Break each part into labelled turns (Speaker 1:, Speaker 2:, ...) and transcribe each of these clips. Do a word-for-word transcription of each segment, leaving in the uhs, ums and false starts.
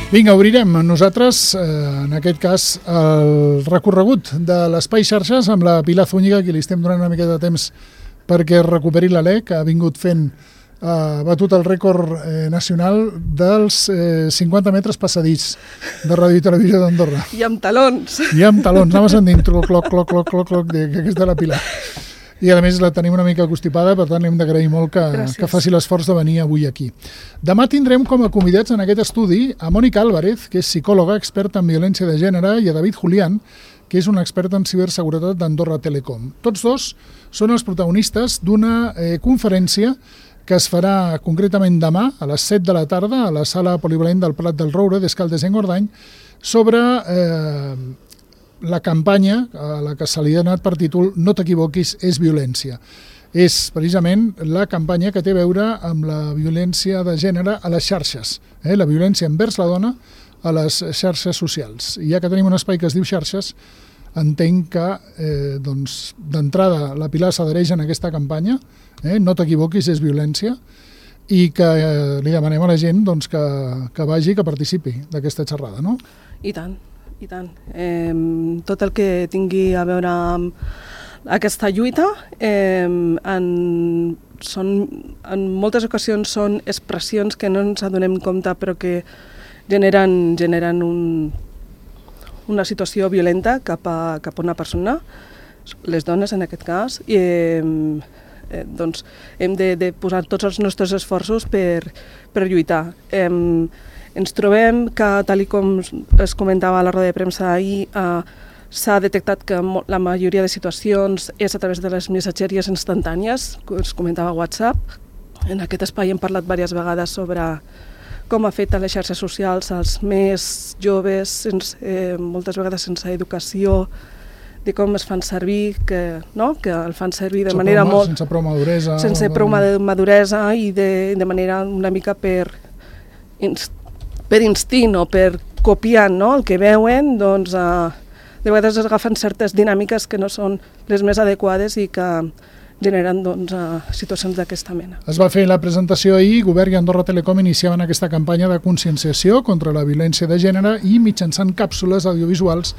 Speaker 1: Vinga, obrirem nosaltres, eh, en aquest cas, el recorregut de l'Espai Xarxes amb la Pilar Zúñiga, que li estem donant una mica de temps perquè recuperi l'alè, que ha vingut fent, ha eh, batut el rècord eh, nacional dels eh, cinquanta metres passadís de Ràdio i Televisió d'Andorra.
Speaker 2: I amb talons.
Speaker 1: I amb talons, anaves sentint cloc, cloc, cloc, cloc, cloc, cloc, que és de la Pilar. I a més la tenim una mica constipada, per tant li hem d'agrair molt que, que faci l'esforç de venir avui aquí. Demà tindrem com a convidats en aquest estudi a Mònica Álvarez, que és psicòloga, experta en violència de gènere, i a David Julián, que és un expert en ciberseguretat d'Andorra Telecom. Tots dos són els protagonistes d'una eh, conferència que es farà concretament demà a les set de la tarda a la sala polivalent del Prat del Roure d'Escaldes-Engordany sobre eh, la campanya a la que se li ha donat per títol No t'equivoquis, és violència. És precisament la campanya que té a veure amb la violència de gènere a les xarxes, eh? la violència envers la dona a les xarxes socials. I ja que tenim un espai que es diu xarxes, entenc que eh, doncs, d'entrada la Pilar s'adhereix en aquesta campanya, eh? No t'equivoquis, és violència, i que eh, li demanem a la gent doncs, que, que vagi, que participi d'aquesta xerrada, no?
Speaker 2: I tant. I tant. Eh, tot el que tingui a veure amb aquesta lluita eh, en, són, en moltes ocasions són expressions que no ens adonem compte però que generen, generen un, una situació violenta cap a, cap a una persona, les dones en aquest cas, i eh, eh, doncs hem de, de posar tots els nostres esforços per, per lluitar. Eh, Ens trobem que, tal com es comentava a la roda de premsa ahir, eh, s'ha detectat que la majoria de situacions és a través de les missatgeries instantànies, que es comentava a WhatsApp. En aquest espai hem parlat diverses vegades sobre com afecta les xarxes socials als més joves, sense, eh, moltes vegades sense educació, de com es fan servir, que, no? que el fan servir de
Speaker 1: sense
Speaker 2: manera
Speaker 1: prou,
Speaker 2: molt...
Speaker 1: Sense prou maduresa.
Speaker 2: Sense prou maduresa i de, de manera una mica per... per instint o per copiar, no? El que veuen, doncs, eh, de vegades es agafen certes dinàmiques que no són les més adequades i que generen doncs, eh, situacions d'aquesta mena.
Speaker 1: Es va fer la presentació ahir, Govern i Andorra Telecom iniciaven aquesta campanya de conscienciació contra la violència de gènere i mitjançant càpsules audiovisuals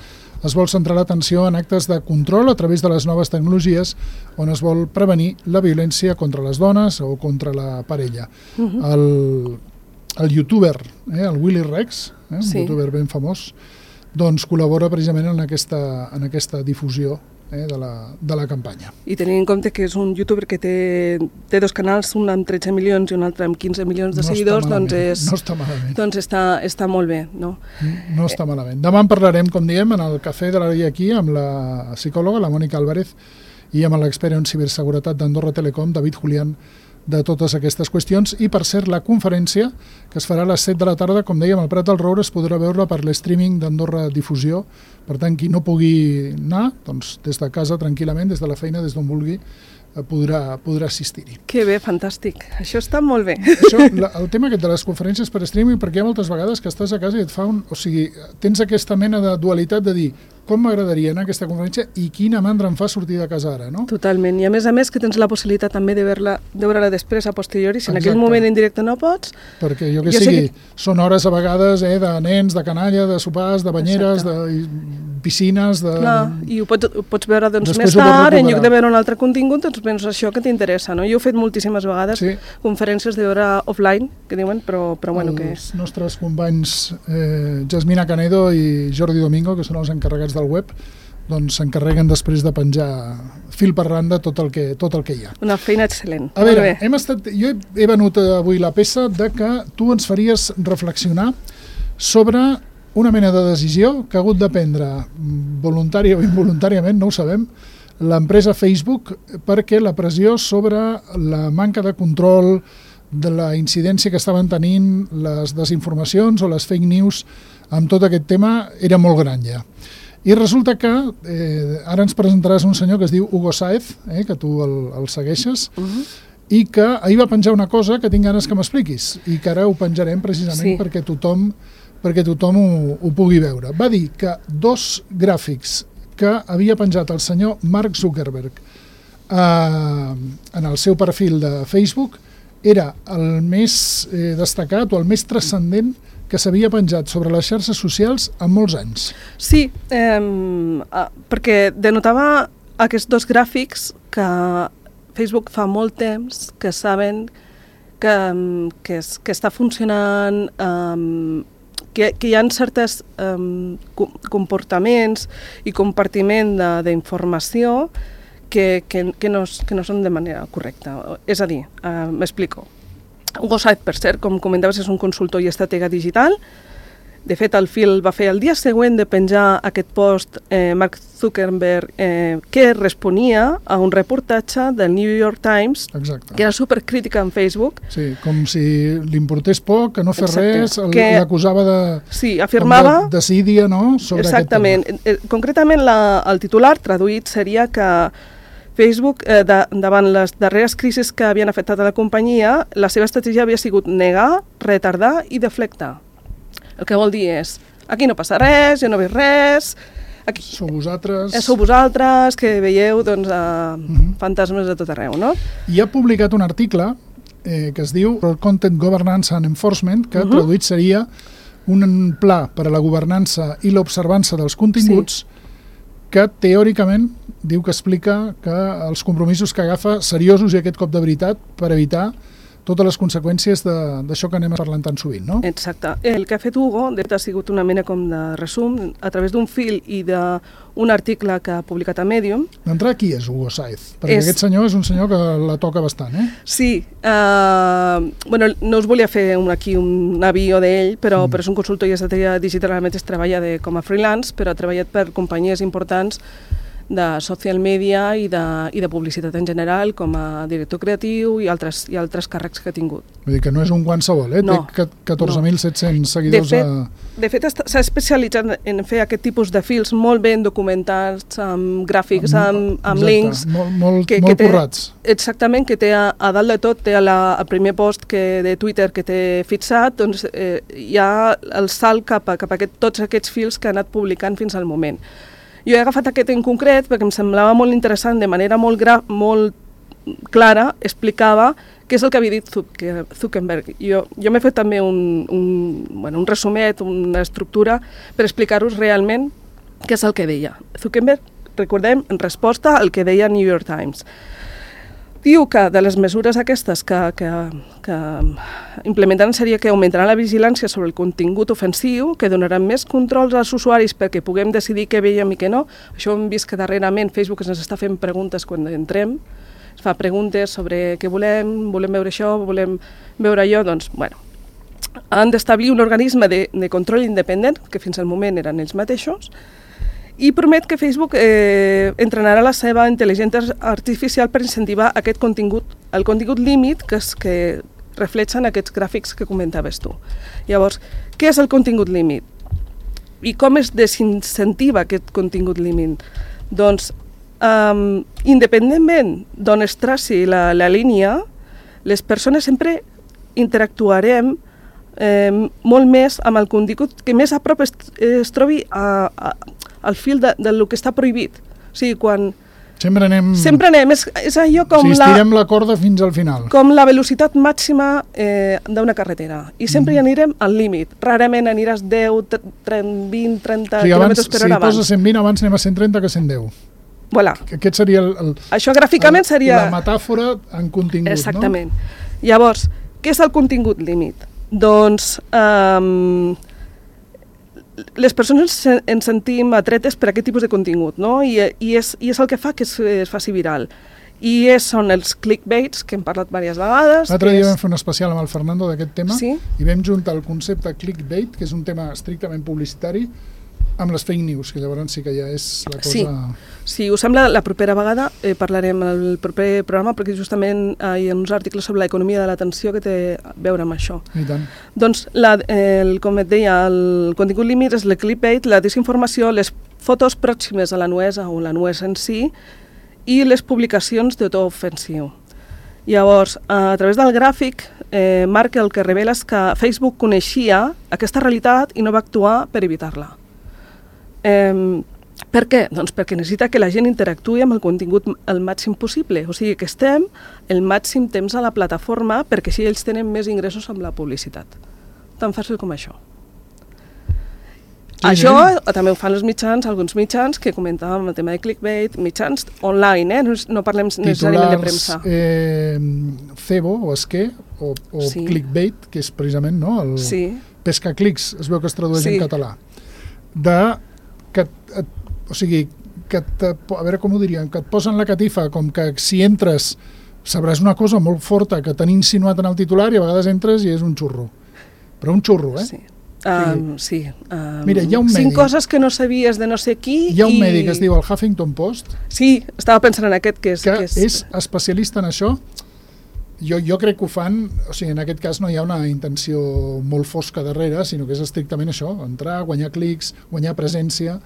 Speaker 1: es vol centrar l'atenció en actes de control a través de les noves tecnologies on es vol prevenir la violència contra les dones o contra la parella. Uh-huh. El El youtuber, eh, el Willy Rex, eh, un sí. youtuber ben famós, doncs col·labora precisament en aquesta, en aquesta difusió eh, de, la, de la campanya.
Speaker 2: I tenint en compte que és un youtuber que té, té dos canals, un amb tretze milions i un altre amb quinze milions de no seguidors, doncs, és,
Speaker 1: no està malament.
Speaker 2: doncs està, està molt bé. No,
Speaker 1: no està malament. Demà en parlarem, com diem, en el cafè de la dia aquí amb la psicòloga, la Mònica Álvarez, i amb l'expert en ciberseguretat d'Andorra Telecom, David Julián, de totes aquestes qüestions. I, per cert, la conferència, que es farà a les set de la tarda, com dèiem, al Prat del Roure, es podrà veure per l'streaming d'Andorra Difusió. Per tant, qui no pugui anar, doncs, des de casa, tranquil·lament, des de la feina, des d'on vulgui, podrà, podrà assistir-hi.
Speaker 2: Que bé, fantàstic. Això està molt bé.
Speaker 1: Això, la, el tema aquest de les conferències per streaming, perquè hi ha moltes vegades que estàs a casa i et fa un... O sigui, tens aquesta mena de dualitat de dir com m'agradaria anar a aquesta conferència i quina mandra em fa sortir de casa ara, no?
Speaker 2: Totalment. I a més a més que tens la possibilitat també de veure-la de veure-la després a posteriori, si en Exacte. Aquell moment en directe no pots...
Speaker 1: Perquè jo que jo sigui, que... són hores a vegades eh, de nens, de canalla, de sopars, de banyeres, Exacte. de piscines... De...
Speaker 2: Clar, i ho pots, ho pots veure doncs, més tard, en lloc de veure un altre contingut, doncs penso això que t'interessa, no? Jo he fet moltíssimes vegades sí. conferències de veure offline, que diuen, però, però bueno,
Speaker 1: els
Speaker 2: que...
Speaker 1: Els nostres companys eh, Jasmina Canedo i Jordi Domingo, que són els encarregats del web, doncs s'encarreguen després de penjar fil per randa tot el que, tot el que hi ha.
Speaker 2: Una feina excel·lent.
Speaker 1: A veure, hem estat, jo he, he venut avui la peça de que tu ens faries reflexionar sobre una mena de decisió que ha hagut de prendre voluntària o involuntàriament, no ho sabem, l'empresa Facebook, perquè la pressió sobre la manca de control de la incidència que estaven tenint les desinformacions o les fake news amb tot aquest tema era molt gran ja. I resulta que eh, ara ens presentaràs un senyor que es diu Hugo Sáez, eh, que tu el, el segueixes, uh-huh. i que ahir va penjar una cosa que tinc ganes que m'expliquis i que ara ho penjarem precisament sí. perquè tothom, perquè tothom ho, ho pugui veure. Va dir que dos gràfics que havia penjat el senyor Mark Zuckerberg eh, en el seu perfil de Facebook era el més eh, destacat o el més transcendent que s'havia penjat sobre les xarxes socials en molts anys.
Speaker 2: Sí, eh, perquè denotava aquests dos gràfics que Facebook fa molt temps que saben que, que, es, que està funcionant, um, que, que hi ha certs um, comportaments i compartiment d'informació que, que, que, no, que no són de manera correcta. És a dir, uh, m'explico. Hugo Sáez, per cert, com comentaves, és un consultor i estratega digital. De fet, el Phil va fer el dia següent de penjar aquest post eh, Mark Zuckerberg eh, que responia a un reportatge del New York Times.
Speaker 1: Exacte.
Speaker 2: Que era supercrítica en Facebook.
Speaker 1: Sí, com si li importés poc, que no fer
Speaker 2: Exacte.
Speaker 1: res,
Speaker 2: que...
Speaker 1: l'acusava de...
Speaker 2: Sí, afirmava...
Speaker 1: De decídia, no?, sobre
Speaker 2: Exactament.
Speaker 1: aquest tema.
Speaker 2: Concretament, la, el titular traduït seria que Facebook, eh, de, davant les darreres crisis que havien afectat a la companyia, la seva estratègia havia sigut negar, retardar i deflectar. El que vol dir és, aquí no passa res, jo no veig res, aquí
Speaker 1: sou vosaltres...
Speaker 2: Eh, sou vosaltres, que veieu doncs, eh,
Speaker 1: uh-huh.
Speaker 2: fantasmes de tot arreu, no?
Speaker 1: I ha publicat un article eh, que es diu Content Governance and Enforcement, que uh-huh. traduït seria un pla per a la governança i l'observança dels continguts, sí. que teòricament diu que explica que els compromisos que agafa seriosos i aquest cop de veritat per evitar totes les conseqüències d'això que anem parlant tan sovint, no?
Speaker 2: Exacte. El que ha fet Hugo de fet, ha sigut una mena com de resum a través d'un fil i d'un article que ha publicat a Medium.
Speaker 1: D'entrada, qui és Hugo Sáez? Perquè és... aquest senyor és un senyor que la toca bastant, eh?
Speaker 2: Sí. Uh, bueno, no us volia fer un, aquí un avió d'ell, però, mm. però és un consultor i estratègia digital, a més treballa de, com a freelance, però ha treballat per companyies importants de social media i de, i de publicitat en general, com a director creatiu i altres, i altres càrrecs que ha tingut.
Speaker 1: Vull dir que no és un qualsevol, eh?
Speaker 2: No,
Speaker 1: té catorze mil set-cents seguidors.
Speaker 2: De fet,
Speaker 1: a...
Speaker 2: de fet s'ha especialitzat en fer aquest tipus de fils molt ben documentats, amb gràfics, amb, amb links.
Speaker 1: Molt, molt,
Speaker 2: que,
Speaker 1: molt
Speaker 2: que té,
Speaker 1: currats.
Speaker 2: Exactament, que té a, a dalt de tot, té a la, el primer post que, de Twitter que té fixat, doncs eh, hi ha el salt cap a, cap a aquest, tots aquests fils que ha anat publicant fins al moment. Jo he agafat aquest en concret perquè em semblava molt interessant, de manera molt, gra molt clara, explicava què és el que havia dit Zuckerberg. Jo, jo m'he fet també un, un, bueno, un resumet, una estructura, per explicar-vos realment què és el que deia. Zuckerberg, recordem, en resposta al que deia New York Times. Diu que de les mesures aquestes que, que, que implementaran seria que augmentaran la vigilància sobre el contingut ofensiu, que donaran més controls als usuaris perquè puguem decidir què veiem i què no. Això hem vist que darrerament Facebook ens està fent preguntes quan entrem, es fa preguntes sobre què volem, volem veure això, volem veure allò, doncs, bueno, han d'establir un organisme de, de control independent, que fins al moment eren ells mateixos, i promet que Facebook eh, entrenarà la seva intel·ligència artificial per incentivar aquest contingut, el contingut límit que, es, que reflexen aquests gràfics que comentaves tu. Llavors, què és el contingut límit? I com es desincentiva aquest contingut límit? Doncs, um, independentment d'on es traci la, la línia, les persones sempre interactuarem eh, molt més amb el contingut que més a prop es, es trobi a, a al fil de, del que està prohibit. O sigui, quan...
Speaker 1: Sempre anem...
Speaker 2: Sempre anem. És, és allò com
Speaker 1: o sigui,
Speaker 2: la...
Speaker 1: estirem la corda fins al final.
Speaker 2: Com la velocitat màxima eh, d'una carretera. I sempre mm. hi anirem al límit. Rarament aniràs deu, vint, trenta
Speaker 1: o sigui, abans,
Speaker 2: quilòmetres per hora abans.
Speaker 1: Si poses cent vint, abans anem a cent trenta que cent deu.
Speaker 2: Voilà.
Speaker 1: Aquest seria el... el
Speaker 2: Això gràficament
Speaker 1: el,
Speaker 2: seria...
Speaker 1: La metàfora en contingut,
Speaker 2: exactament.
Speaker 1: no?
Speaker 2: Exactament. Llavors, què és el contingut límit? Doncs... Um, les persones ens sentim atretes per aquest tipus de contingut, no? I, i, és, i és el que fa que es, es faci viral. I és, són els clickbaits, que hem parlat diverses vegades.
Speaker 1: L'altre dia
Speaker 2: és...
Speaker 1: vam fer un especial amb el Fernando d'aquest tema,
Speaker 2: sí?
Speaker 1: I vam juntar el concepte clickbait, que és un tema estrictament publicitari, amb les fake news, que llavors sí que ja és la cosa...
Speaker 2: Sí, si us sembla, la propera vegada eh, parlarem al proper programa, perquè justament eh, hi ha uns articles sobre l'economia de l'atenció que té a veure amb això.
Speaker 1: I tant.
Speaker 2: Doncs, la, el, com et deia, el contingut límit és el clickbait, la desinformació, les fotos pròximes a la nuesa o la nuesa en si, i les publicacions de to ofensiu. Llavors, a través del gràfic, eh, Marc el que revela és que Facebook coneixia aquesta realitat i no va actuar per evitar-la. Eh, per què? Doncs perquè necessita que la gent interactuï amb el contingut el màxim possible, o sigui que estem el màxim temps a la plataforma perquè així ells tenen més ingressos amb la publicitat. Tan fàcil com això. Sí, això sí. També ho fan els mitjans, alguns mitjans que comentàvem el tema de clickbait, mitjans online, eh? no, no parlem necessàriament de premsa.
Speaker 1: Titulars eh, cebo o esquer o, o sí. clickbait, que és precisament no, el sí. pescaclics, es veu que es tradueix sí. en català. De, que, et, o sigui, que te, a veure com ho diríem, que et posen la catifa com que si entres sabràs una cosa molt forta que t'han insinuat en el titular i a vegades entres i és un xurro. Però un xurro, eh?
Speaker 2: Sí. Um, sí. Um,
Speaker 1: Mira, hi ha un mèdic.
Speaker 2: Cinc coses que no sabies de no sé qui.
Speaker 1: Hi ha un
Speaker 2: i...
Speaker 1: mèdic que es diu el Huffington Post.
Speaker 2: Sí, estava pensant en aquest que és...
Speaker 1: Que,
Speaker 2: que és...
Speaker 1: és especialista en això. Jo, jo crec que ho fan, o sigui, en aquest cas no hi ha una intenció molt fosca darrere, sinó que és estrictament això, entrar, guanyar clics, guanyar presència,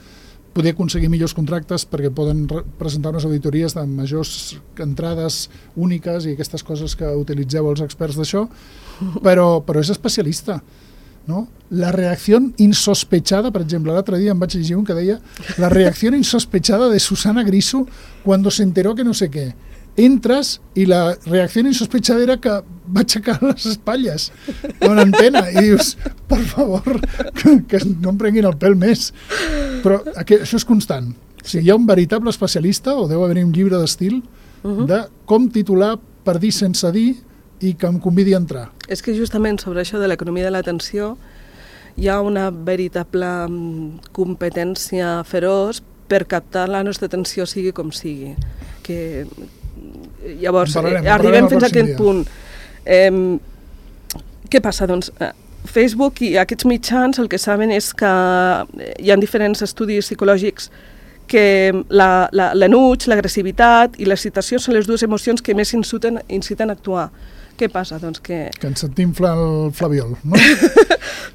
Speaker 1: poder aconseguir millors contractes perquè poden presentar unes auditories de majors entrades úniques i aquestes coses que utilitzeu els experts d'això, però, però és especialista. ¿No? La reacció insospechada, per exemple, l'altre dia em vaig llegir un que deia la reacció insospechada de Susana Griso cuando se enteró que no sé què. Entres i la reacció insospechada era que va aixecar les espatlles a una antena i dius, per favor, que, que no em prenguin el pèl més. Però aquest, això és constant. O sigui, hi ha un veritable especialista, o deu haver un llibre d'estil, uh-huh. de com titular per dir sense dir i que em convidi a entrar.
Speaker 2: És que justament sobre això de l'economia de l'atenció hi ha una veritable competència feroç per captar la nostra atenció sigui com sigui. Que llavors parlarem, eh, arribem fins a aquest dia. punt. Eh, què passa? Doncs eh, Facebook i aquests mitjans el que saben és que hi ha diferents estudis psicològics que l'enuig, l'agressivitat i l'excitació són les dues emocions que més inciten, inciten a actuar. Què passa? Doncs que...
Speaker 1: Que ens s'infla el flabiol, no?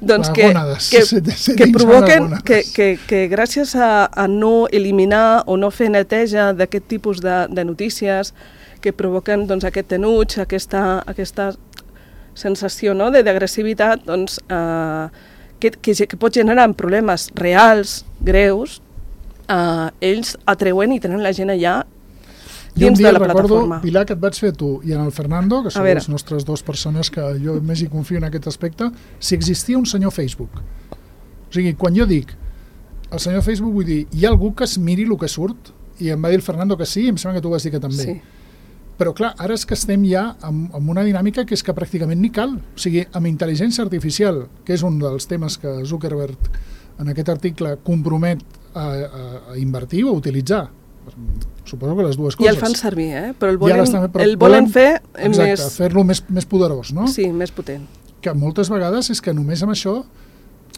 Speaker 2: doncs que, que, se, se que provoquen que, que, que gràcies a, a no eliminar o no fer neteja d'aquest tipus de, de notícies que provoquen doncs, aquest enuig, aquesta, aquesta sensació no, d'agressivitat, doncs, eh, que, que, que pot generar problemes reals, greus, eh, ells atreuen i tenen la gent allà dins de la plataforma.
Speaker 1: Jo un dia recordo, Pilar, que et vaig fer tu i en el Fernando, que són les nostres dues persones que jo més hi confio en aquest aspecte, si existia un senyor Facebook. O sigui, quan jo dic el senyor Facebook, vull dir, hi ha algú que es miri el que surt? I em va dir el Fernando que sí, i em sembla que tu vas dir que també. Sí. Però clar, ara és que estem ja amb, amb una dinàmica que és que pràcticament ni cal. O sigui, amb intel·ligència artificial, que és un dels temes que Zuckerberg en aquest article compromet a, a, a invertir o a utilitzar. Suposo que les dues coses.
Speaker 2: I el fan servir, eh? Però el volen, ja el volen fer
Speaker 1: exacte, més... fer-lo més, més poderós, no?
Speaker 2: Sí, més potent.
Speaker 1: Que moltes vegades és que només amb això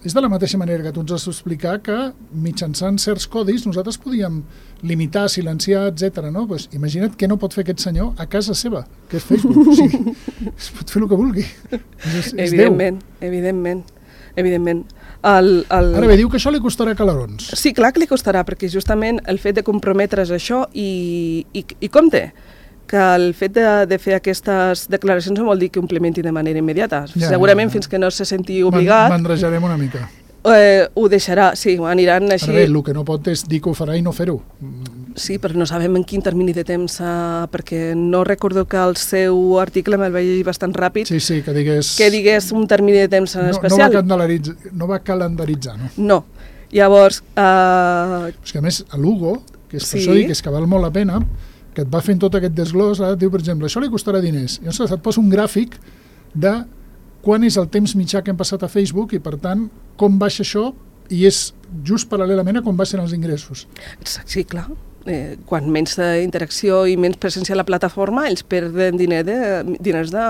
Speaker 1: és de la mateixa manera que tu ens has d'explicar que mitjançant certs codis nosaltres podíem limitar, silenciar, etcètera. No? Pues imagina't què no pot fer aquest senyor a casa seva, que és Facebook. O sigui, es pot fer el que vulgui. És, és
Speaker 2: evidentment,
Speaker 1: Déu.
Speaker 2: evidentment, evidentment. El, el...
Speaker 1: Ara bé, diu que això li costarà calarons.
Speaker 2: Sí, clar que li costarà, perquè justament el fet de comprometre's això i, i, i compte, que el fet de, de fer aquestes declaracions no vol dir que ho implementi de manera immediata. Ja, segurament ja, ja. Fins que no se senti obligat...
Speaker 1: Mandrejarem una mica.
Speaker 2: Eh, ho deixarà, sí, ho aniran així...
Speaker 1: Ara bé, el que no pot és dir que ho farà i no fer-ho.
Speaker 2: Sí, però no sabem en quin termini de temps, eh, perquè no recordo que el seu article me'l vaig llegir bastant ràpid.
Speaker 1: Sí, sí, que digués...
Speaker 2: Que digués un termini de temps
Speaker 1: no,
Speaker 2: especial.
Speaker 1: No va, no va calendaritzar, no?
Speaker 2: No. Llavors... Eh...
Speaker 1: És que a més, a l'Hugo, que és per sí. això dic que és que val molt la pena, que et va fent tot aquest desglòs, ara et diu, per exemple, això li costarà diners. I llavors et posa un gràfic de quan és el temps mitjà que hem passat a Facebook i, per tant, com baixa això i és just paral·lelament a com baixen els ingressos.
Speaker 2: Sí, clar. Eh, quan menys interacció i menys presència a la plataforma, ells perden diner de, diners de,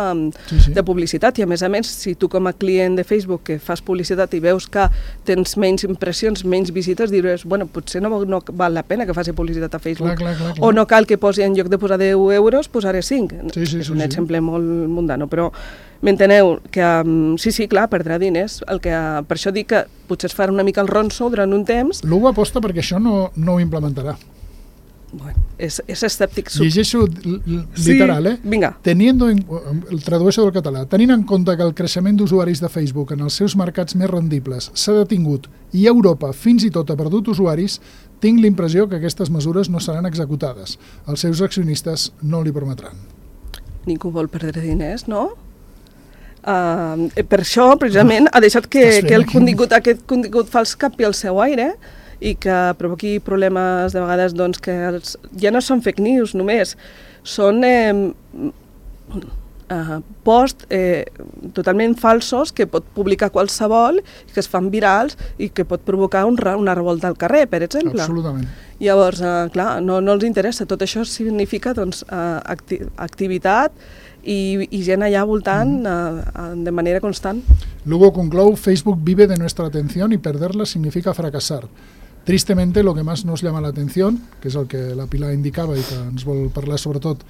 Speaker 2: sí, sí. de publicitat. I a més a més, si tu com a client de Facebook que fas publicitat i veus que tens menys impressions, menys visites, diràs, bueno, potser no, no val la pena que faci publicitat a Facebook.
Speaker 1: Clar, clar, clar, clar.
Speaker 2: O no cal que posi, en lloc de posar deu euros, posaré cinc.
Speaker 1: Sí, sí,
Speaker 2: és un
Speaker 1: sí,
Speaker 2: exemple
Speaker 1: sí.
Speaker 2: molt mundano, però m'enteneu que um, sí, sí, clar, perdrà diners. El que, per això dic que potser es farà una mica el ronso durant un temps.
Speaker 1: L'Hugo aposta perquè això no, no ho implementarà.
Speaker 2: Bueno, és, és escèptic. Sub...
Speaker 1: Llegeixo literal, eh?
Speaker 2: Sí, vinga.
Speaker 1: Teniendo en, el tradueixo del català. Tenint en compte que el creixement d'usuaris de Facebook en els seus mercats més rendibles s'ha detingut i Europa fins i tot ha perdut usuaris, tinc l'impressió que aquestes mesures no seran executades. Els seus accionistes no li permetran.
Speaker 2: Ningú vol perdre diners, no? Uh, per això, precisament, ha deixat que, que el contingut, aquest contingut fals capi al seu aire i que provoqui problemes de vegades doncs, que els, ja no són fake news només, són eh, uh, posts eh, totalment falsos que pot publicar qualsevol, que es fan virals i que pot provocar un, una revolta al carrer, per exemple.
Speaker 1: Absolutament.
Speaker 2: Llavors, eh, clar, no, no els interessa. Tot això significa doncs, eh, acti activitat i, i gent allà voltant mm. uh, de manera constant.
Speaker 1: Luego conclou, Facebook vive de nuestra atención y perderla significa fracasar. Tristemente, lo que más nos llama la atención, que és el que la Pilar indicava i que ens vol parlar sobretot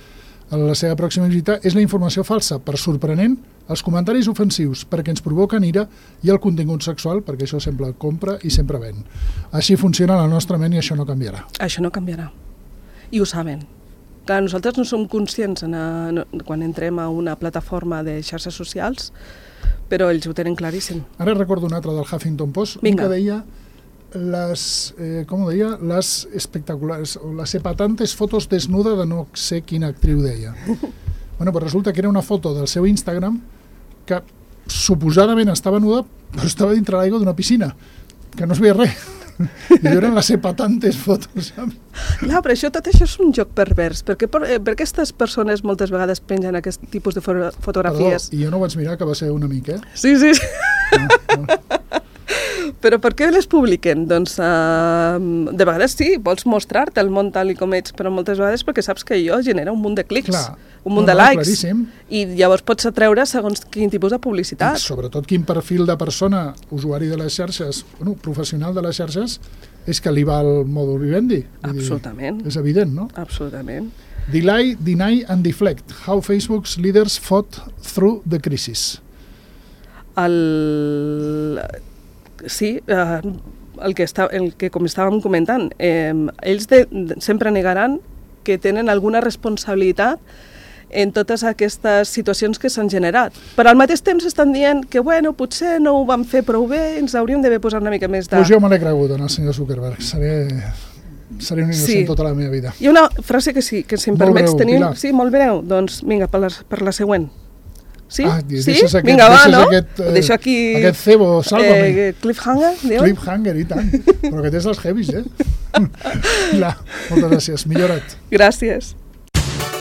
Speaker 1: a la seva pròxima visita, és la informació falsa, per sorprenent, els comentaris ofensius, perquè ens provoquen ira, i el contingut sexual, perquè això sempre compra i sempre ven. Així funciona la nostra ment i això no canviarà.
Speaker 2: Això no canviarà. I ho saben. Clar, nosaltres no som conscients en a, no, quan entrem a una plataforma de xarxes socials, però ells ho tenen claríssim.
Speaker 1: Ara recordo un altre del Huffington Post,
Speaker 2: Vinga.
Speaker 1: que deia les, eh, com ho deia, les espectaculares, o les epatantes fotos desnuda de no sé quina actriu deia. Bueno, pues resulta que era una foto del seu Instagram que suposadament estava nuda, però estava dintre l'aigua d'una piscina, que no es veia res. I eren les epatantes fotos.
Speaker 2: Clar, però això, tot això és un joc pervers, perquè per, eh, per aquestes persones moltes vegades pengen aquest tipus de fotografies.
Speaker 1: Perdó, i jo no ho vaig mirar, que va ser un amic, eh?
Speaker 2: Sí, sí, sí.
Speaker 1: No, no.
Speaker 2: Però per què les publiquen? Doncs uh, de vegades sí, vols mostrar-te el món tal i com ets, però moltes vegades perquè saps que allò genera un munt de clics,
Speaker 1: Clar.
Speaker 2: un munt
Speaker 1: no,
Speaker 2: de
Speaker 1: no,
Speaker 2: likes,
Speaker 1: claríssim.
Speaker 2: I llavors pots atreure segons quin tipus de publicitat.
Speaker 1: I sobretot quin perfil de persona, usuari de les xarxes, bueno, professional de les xarxes, és que li va el modus vivendi.
Speaker 2: Absolutament.
Speaker 1: Dir, és evident, no?
Speaker 2: Absolutament.
Speaker 1: Delay, deny and deflect. How Facebook's leaders fought through the crisis.
Speaker 2: El... Sí, eh, el, que està, el que com estàvem comentant, eh, ells de, de, sempre negaran que tenen alguna responsabilitat en totes aquestes situacions que s'han generat. Però al mateix temps estan dient que, bueno, potser no ho vam fer prou bé, ens hauríem d'haver posat una mica més de...
Speaker 1: Pues jo me l'he cregut en el senyor Zuckerberg. Seré, seré un innocent sí. tota la meva vida.
Speaker 2: Hi ha una frase que sí, que si em
Speaker 1: molt
Speaker 2: permets
Speaker 1: breu,
Speaker 2: tenir...
Speaker 1: Pilar.
Speaker 2: Sí, molt breu. Doncs vinga, per la, per la següent. Sí?
Speaker 1: Ah,
Speaker 2: sí?
Speaker 1: Aquest,
Speaker 2: Vinga, va, no?
Speaker 1: Aquest, eh,
Speaker 2: deixo aquí...
Speaker 1: Aquest cebo, sálvame.
Speaker 2: Eh, cliffhanger, diuen?
Speaker 1: Cliffhanger, i tant. Però que tens els heavies, eh? La, moltes gràcies. Millora't.
Speaker 2: Gràcies.